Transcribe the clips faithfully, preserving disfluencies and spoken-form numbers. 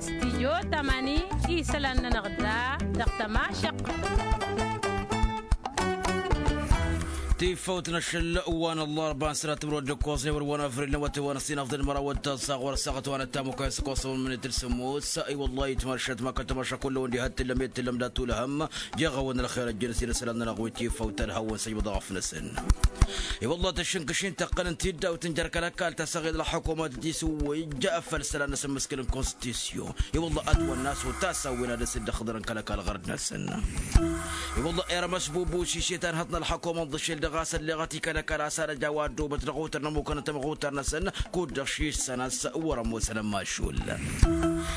Stijyo tamani isălan-nănăɣ da dăɣ-tămašăq. Tifawt n-ašăl wa n-ăllarba n-sănat timrod d-ǝkkoẓ n-ewăr wa n-avril n-awătay wa n-ăssin afḍăn măraw d-taẓaɣ wăr-ăssaɣăt wa n-ăttamukay s-ǝkkoẓ n-mǝnit d-sămoos. I-wăllah itmašat ma kăl-tămaša kull-ăwăn d-ihăttǝllăm i-tǝllăm d-atulhăm. Jeɣ-awăn ălxer ăjjăn s-inăsălan-nănăɣ wi tifawt ad-hawăn-săjbăḍ aɣăf-năsăn. I-wăllah tăššǝnkǝšin tăqqăn n-tiddaw tǝnjăr kăl-ăkall ta s-aɣed ălxăkumăt tisǝwwǝj făll-isălan n-asǝmmǝskǝl n-konstisyon. I-wăllah ătwănna a-s otasawwen ad-ăsǝddăxḍărăn kăl-ăkall ɣărăt-năsăn. I-wăllah irmăs bubu s-iset anhăḍ n-ălxăkumăt ḍǝšel dăɣ-a-s ălleɣăt i-kăl-ăkall a-s ad-ăj a-wa ăddoobăt dăɣ-otăr n-ămmukăn n-tamɣutar-năsăn kud-dăɣ šissan a-s wăr-ămoosăn ămmašul.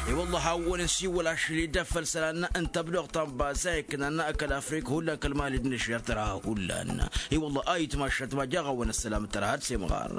I-wăllah hawăn-nǝsiwǝl ašli d-afăl isălan n-tăbluɣt ta n-baza iknan kăl-afrik hullan kăl-mali d-nǝžžer tărha hullan. I-wăllah a itmašat ma jaɣ-awăn ăssălam tărha d-semɣar.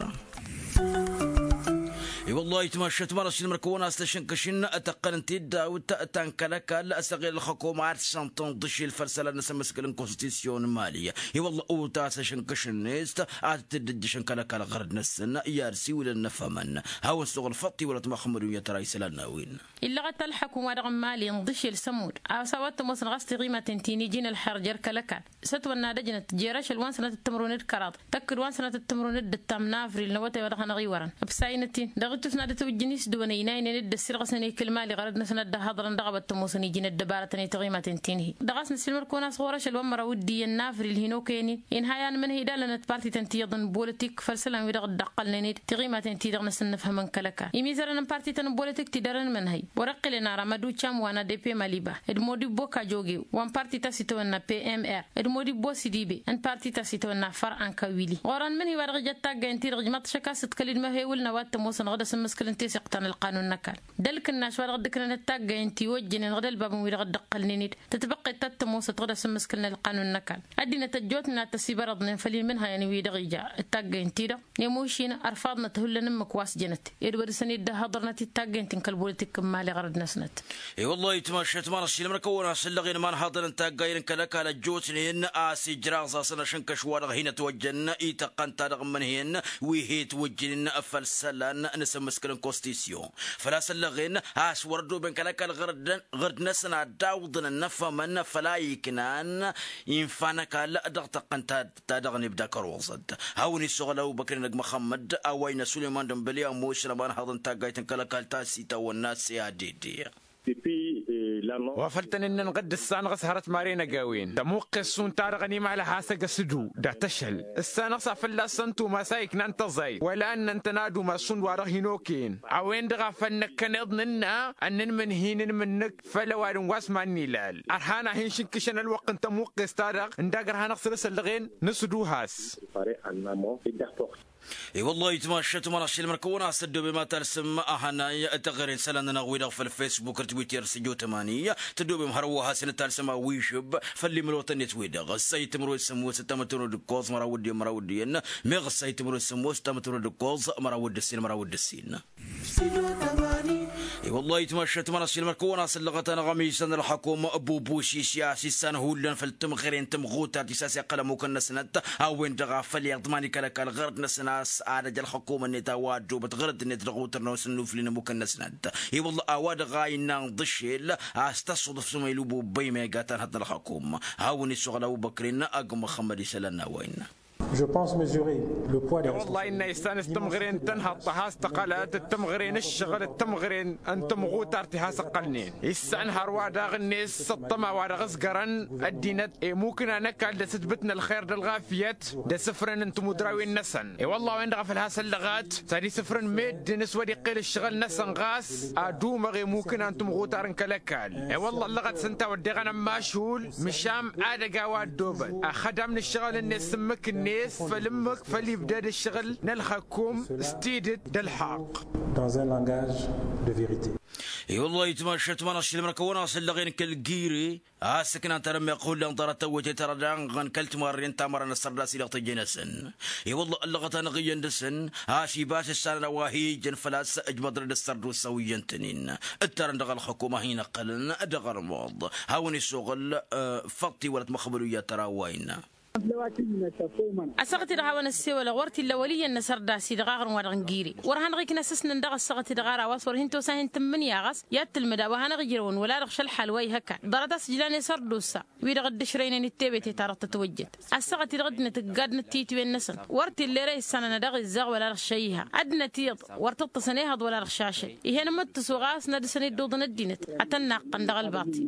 I-wăllah a itmašat ma n-ašilmăr kăwăn-as tăšǝnkǝšin tăqqăn n-tiddawt ta n-kăl-ăkall s-aɣil ălxăkum ad-sănṭăn ḍǝšil făll-isălan n-asǝmmǝskǝl n-konstisyon n-mali. I-wăllah utas ašǝnkǝšăn-net ad-t-dd-ǝjjǝšăn kăl-ăkall ɣărăt-năsăn i-ad-siwǝlăn n-afhămăn. Hawăn-suɣǝl făṭṭ iwălăt măxmădun i-tăra isălan n-a-wen. Illăɣăt ălḥăkum-wa-dăɣ n-mali ǝnḍǝšel sămud a-s a-wa t-ămoosăn ɣas tiɣimaten ti n-iji n-ălxer jer-kăl-ăkall s-ătwănna d-ăjnăt jer-ašăl wa n-sănatăt timǝrwen d-kăraḍ tăkk-dd wa n-sănatăt timǝrwen d-ǝttam n-avril n-awătay wa dăɣ-hanăɣ-iwărăn. Ǝbsayinăt-in dăɣ-ittus n-ad-ătwǝjjǝn isdǝwăn ăynaynen dd-ăssirɣǝsăn i-kăl-mali ɣărăt-năsăn ad-dd-ăhhăḍrăn dăɣ-a-wa t-ămoosăn iji n-ăddăbarătăn i-tiɣimaten ti n-hi-dăɣ a-s nǝsǝlmăr-kăwăn a-s ɣur-ašăl wa n-măraw d-iyyăn n-avril hin-okăyăn-in inhăy anmǝnhǝy d-allănăt partităn ti iyyăḍ n-bolotik făll-isălan-wi-dăɣ dd-ăqqălnen-dd tiɣimaten-ti-dăɣ n-asǝnnǝfhǝmăn kăl-ăkall. Imizărăn n-parti ta n-ăbbolăt ikti dăr-ănmănhăy wăr-iqqǝlăn ara măducam wa n-adp maliba d-modibbo kajoge wa n-parti ta s-itawănna pmr d-modibbo sidibe n-parti ta s-itawănna făr ankawili ɣur-ănmănhăy wa dăɣ-ija d-taggay n-ti-dăɣ ǝjmăḍ šăkk a-s ǝḍkăl-dd măhewǝl n-a-wa t-ămoosăn ɣǝd asǝmmǝskǝl n-teseɣt ta n-ălqanun n-ăkall. D-ălkǝnnaš wa dăɣ-dd-ǝknănăt taggay n-tiwăjjănen ɣǝd ălbab n-wi-dăɣ dd-ăqqălnen-dd tǝtbăqqet ta t-ămoosăt ɣǝd asǝmmǝskǝl n-ălqanun n-ăkall. Ăddinăt ăjjootnen ad-tăsibărăḍnen făll-inmǝnhăyăn-wi-dăɣ ija d-taggay n-ti-dăɣ. Nemušin ărfaḍnăt hullan ǝmmǝk wa s-jănăt ed wăr-dăr-săn dd-ăhhăḍărnăt i-taggay n-ti n-kăl-bolotik n-imali ɣărăd-năsnăt. I-wăllah itmašat ma n-ašilmăr kăwăn-asǝllăɣen imanhaḍăn n-taggay n-kăl-ăkall ăjjootnen a-s ijraẓ-asăn ašǝnkăš-wa-dăɣ hin-ătwăjjăn i-tăqqăn-ta-dăɣ ǝmmǝnhǝyăn wi he-twǝjjǝnen făll-isălan n-asǝmmǝskǝl n-konstisyon. Făl-a-s ăllăɣen a-s wăr-ăddoben kăl-ăkall ɣărd-năsăn ad-dd-awǝḍăn ănnăfhămăn făl-a iknan infa n-ăkall dăɣ-tăqqăn ta-dăɣ n-ibda kăruẓăt. Hawăn-issoɣăl ăbubăkr-inăgg măxămmăd a-wa innă sulăyman d-ănbăli ămoosăn ămanhaḍ n-taggayt n-kăl-ăkall ta s-itawănna s-e a d d. Wa făl tăn-ǝnnăn ɣǝdd ǝssanăɣ s-hărăt maren ăgawen tămuqqes šund-ta-dăɣ ănimala has-ăgg-ăsǝdu dat-ašăl. Ǝssanăɣ s-ad-fălla-săn tumas a iknan tăẓayt wăla ǝnnăn-tăn ad-umas šund-wa-dăɣ hin-okăyăn. A-wen-dăɣ a făl năkkăneḍ nǝnna ad-nǝnmǝnhi n-inmǝnnǝk făll-ăwadǝm wa s-mad-nilal. Ărhan ad-hin-šǝnkǝšăn ălwăqq n-tămuqqes-ta-dăɣ ǝndag ărhanăɣ săr-s ăllăɣen nǝsǝdu has. I-wăllah itmašat ma n-ašilmăr kăwăn-as tăddobem ad-talsǝm ahănay taɣăre n-isălan-nănăɣ-wi-dăɣ făll-fesbuk d-twitter s-ăjjootăm ani. Tăddobem hărwa has-inǝtalsăm awižǝb făll-imlotăn-net-wi-dăɣ ǝssa itǝmrǝwed sămoos ǝttamătămrǝwed d-ǝkkoẓ măraw d-iyyăn măraw d-iyyăn. Meɣ ǝssa itǝmrǝwed sămoos ǝttamătămrǝwed d-ǝkkoẓ măraw d-ǝssin măraw d-ǝssin. I-wăllah itmašat ma n-ašilmăr kăwăn-as ǝllăɣăt-anăɣ ămizan ălxăkum bubu s-isya a-s issan hullan făll-tǝmɣăre n-tǝmɣutart ti s-a-s iqqăl ămmukăn-năsnăt a-wen-dăɣ a făl iḍman i-kăl-ăkall ɣărăt-năsăn a-s ad-ăj ălxăkum-net a-wa ăddoobăt ɣărăt-net dăɣ-otăr n-a-wa s-ǝnnuflin ămmukăn-năsnăt. I-wăllah a-wa-dăɣ a innă ǝnḍǝšel a-s tăṣṣuḍǝf s-ămăylu bubăy megat anhăḍ n-ălxăkum. Hawăn-issoɣăl ăbubăkrin ăgg măxămmăd isălan n-a-wa innă. I-wăllah innă issan s-tǝmɣăre n-tănhăḍt a has-tăqqălăt d-tǝmɣăre n-ǝššăɣǝl d-tǝmɣăre n-tǝmɣutart ti has-ǝqqălnen issan hărwa daɣ-net s-ăṭṭăma wa dăɣ-ǝzgărăn ăddinăt i-mukna n-ăkall d-asǝtbǝt n-ălxer d-ălɣafyăt d-asǝfrăn n-timudrawen-năsăn. I-wăllah a-wen-dăɣ a făl has-ăllăɣăt s-ad-isǝfrăn meddǝn s-wăr-iqqel ǝššăɣǝl-năsăn ɣas ad-umăɣ i-mukna n-timɣutar n-kăl-ăkall. I-wălla ăllăɣăt s-ǝnta a wădden ănămmašul măšan ad-ăj a-wa ăddoobăt ăxxădam n-ǝššăɣǝl-net s-ǝmmǝk-net făll-ǝmmǝk făll-ibdăd ǝššăɣǝl n-ălxăkum s-tidǝt d-ălḥaqq. Dans un langage de vérité. I-wălla itmašat ma n-ašilmăr kăwăn-as ăllăɣen kăl-giri a-s ǝknan tarămmeɣt hullan ḍarăt tăwwăytet ara daɣăn kăl-timarren tamăra n-ăssărdas-i-dăɣ tăjje-năsăn. I-wălla ăllăɣăt-anăɣ iyyăn dăɣ-săn a-s ibas issanăn a-wa hi-ijăn făl-a-s ǝjmăḍ-năd ăssărdusa wi iyyăn-tăn-in ǝttărăn dăɣ-ălxăkum a hin-ăqqălăn dăɣ-armuḍ. Hawăn-issoɣăl făṭṭ-i wălăt măxmădu i-ad-tăra wa innă. Ăssaɣăt-i-dăɣ hawăn-ăssewălăɣ wăr t-illa wăl' iyyăn n-asărdas-i-dăɣ aɣrǝm-wa-dăɣ n-gire. Wăr hanăɣ-ikna s-ǝsnăn dăɣ-ăssaɣăt-i-dăɣ ar a-wa s-wăr hin-tosa hin-tǝmmǝnǝya ɣas i-ad-tǝlmǝd a-wa hanăɣ-ijrăwăn wăla-dăɣ šălxal wa ihăkan ḍarăt a-s ǝjlan i-sărdusa. Wi-dăɣ dd-ǝšrăynen d-tebete-ta-dăɣ tătwăjjăt ăssaɣăt-i-dăɣ ăddinăt ǝggadnăt titwen-năsăn. Wăr t-illa ere issanăn ad-dăɣ-izzăɣ wăla-dăɣ šăyha ăddinăt iyyăḍ. Wăr t-ǝṭṭǝsăn ehăḍ wăla-dăɣ šašăy. Ih'-en ămmăttǝsu ɣas n-ad-dăsăn iddǝwḍăn ăddinăt ad-tăn-naqqăn dăɣ-ălbaṭi.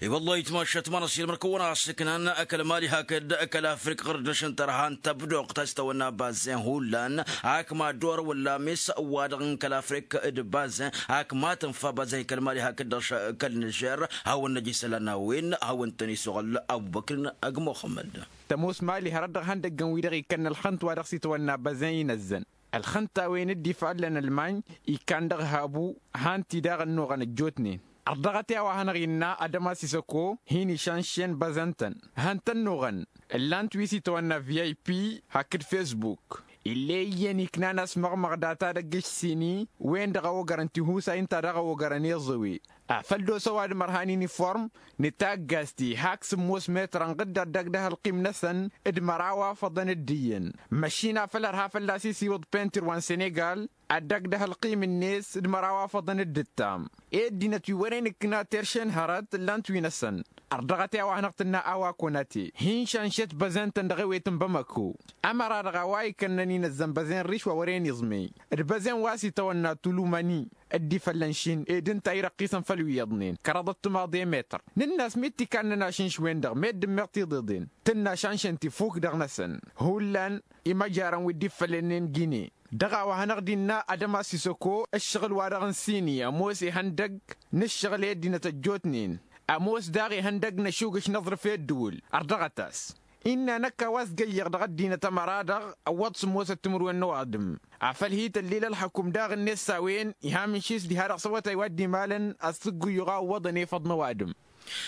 Ih' wăllah itmašat ma n-ašil mărkăwăn asǝknan kăl-mali hakd kăl-afrik ɣur-dd-năšăn tărha n-tăbdoɣt a-s tăwănna bazen hullan. Ak ma dd-orăwăn lames wa-dăɣ n-kăl-afrik d-bazen ak ma tǝnfa bazen kăl-mali hakd dăɣ-kăl-nižer. Hawăn-năj isălan a-wen hawăn-tăn-isuɣǝl abubăkr n-ăgg muxămmăd. Tămoos mali hărăt dăɣ-ihăndăggăn-wi-dăɣ ikkănnă ălxǝnt wa dăɣ-s itwănna băzen inăzzăn ălxǝnt a-wen dd-ifallăn ălmañ. Ikkan dăɣ-habu han-t-i daɣ ănnuɣăn ăjjootnen. Ărdăɣăt i-a-wa hanăɣ-innă adămas isăko hin-išanšen băzăn-tăn. Hăn-tăn-nuɣăn ǝllan-t wi s-itwănna vip hakd fesbuk. Ill'-e iyyăn iknan asmăɣmăɣ data dăgg-ǝšsini wen-dăɣ a ogărăn tihusayn ta dăɣ-ogărăn iẓǝwe. Afăl d-osa ăwadǝm ărhan iniform n-taggast-i hak sǝmmos metăr ănɣǝd ad-dăgg-dăh ălqim-năsăn d-măraw afăḍăn d-iyyăn. Măšin afăl ărha fălla-s isiwǝḍ pentir wa n-senegal ad-dăgg-dăh ălqim-net d-măraw afăḍăn d-ǝttam. I-ăddinăt wi wăren ǝkna terše n-hărăt ǝllan-t wi-năsăn. Ărdăɣăt i-a-wa hanăɣ-tǝnna a-wa konate hin-šanšet băzen-tăn dăɣ-ewet n-bamăko. Ămăra-dăɣ a-wa ikănnăn inăzzăn băzen riš wa wăren iẓmey d-băzen wa s-itawănna tulumăni. Dd-ifăllăn šin ed ǝnta irăqqisăn făll-wi iyyăḍnen kăraḍăt timaḍe metăr. Nǝnn'-as mi t-ikannăn ašǝnš-wen-dăɣ meddǝn meɣ tiḍeḍen tǝnna šanšăn tifuk dăɣ-năsăn. Hullan imăjarăn wi dd-iffălănnen gine. Dăɣ-a-wa hanăɣ-dd-innă ad-ămas isăko ǝššăɣǝl-wa-dăɣ n-sini ămoos ihăndăgg n-ǝššăɣǝl i-ăddinăt ăjjootnen. Ămoos daɣ ihăndăgg n-ašugǝš n-aẓrǝf i-ǝddǝwǝl. Ărdăɣăt-as innă năkk a-wa s-găyyăɣ dăɣ-ăddinăt ămăra-dăɣ ăwwăḍ sǝmmosăt timǝrwen n-ăwadǝm. Afăl hi-tăllil ălxăkum daɣ-net s-a-wen iha mǝnšis diha-dăɣ săwătay wa dd-imalăn. Ad-sǝggǝyyuɣ a ǝwwăḍăn efăḍ n-ăwadǝm.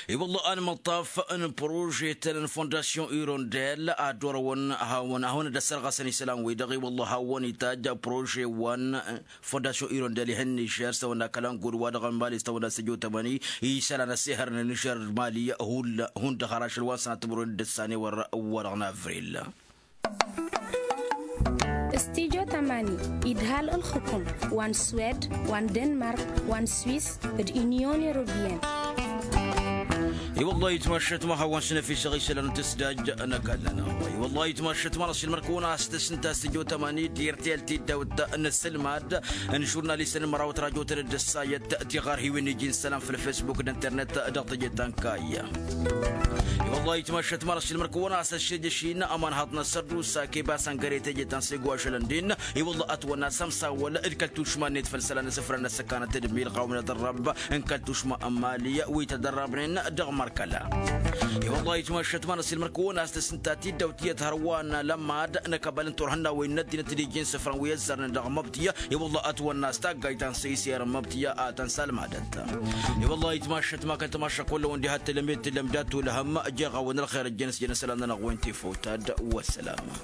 I-wălla anmăṭṭaf n-prožetăn n-fondasyon irondel ad-orăwăn hawăn-hawăn-dd-ăssărɣăsăn isălan-wi-dăɣ i-wălla hawăn-itajj prože wa n-fondasyon irondel ihăn nižer s-tăwănna kălăngud wa dăɣ-n mali s-tăwănna săjo tămăni. Isălan ăssihărăn nižer d-mali. Hundăɣ har ašăl wa n-sănatămăron d-ăssanewăr wa dăɣ-n avril. Stijo tămani idhal ǝlxǝkum wa n-swed wa n-denmark wa n-swis d-inyon europiyăn. I-wăllah itmašăt ma hawăn-s năfisăɣ isălan n-tǝsdaj n-ăkall-nănăɣ. I-wăllah itmašăt ma n-ăṣilmăr-kăwăn a-s tăsnǝt a-s stijo tămani d-irtel tiddawt n-asǝlmad n-žurnalistăn n-măraw tărajotăn d-ăssayăt tiɣarhiwen iji n-isălan făll-fesbuk d-internet. Dăɣ-teje ta n-kayya. I-wăllah itmašăt ma n-ăṣilmăr-kăwăn a-s ăššejăš-in ămanhaḍ n-asărdusa kebas ăngăre teje ta n-sego ašălăn din. I-wăllah ătwănna s-ămsawăl d-kăl-tušma-net făll-isălan n-asǝfran n-ăssăkanăt d-milɣaw n-ad-ărrăb n-kăl-tušma n-mali wi tădărrăbnen dăɣ-mărkăla. I-wăllah itmašăt ma n-ăṣilmăr-kăwăn a-s tăsnǝta tiddawt tiyyăt hărwa n-alămmad n-akăbal n-turhǝnnawen n-ăddinăt d-iji n-isǝfran wi ăzzărnen dăɣ-măbtǝya. I-wăllah ătwănna s-taggayt ta n-săyser n-măbtǝya a tăn-salmadăt. I-wăllah itmašăt ma kăl-tamašăk wălla-wăn diha t-tǝlăm i-t-tǝlăm dat-ulhăm. Jeɣ-awăn ălxer ăjjăn s-jăn isălan-nănăɣ wen tifawt ad-wăssalama.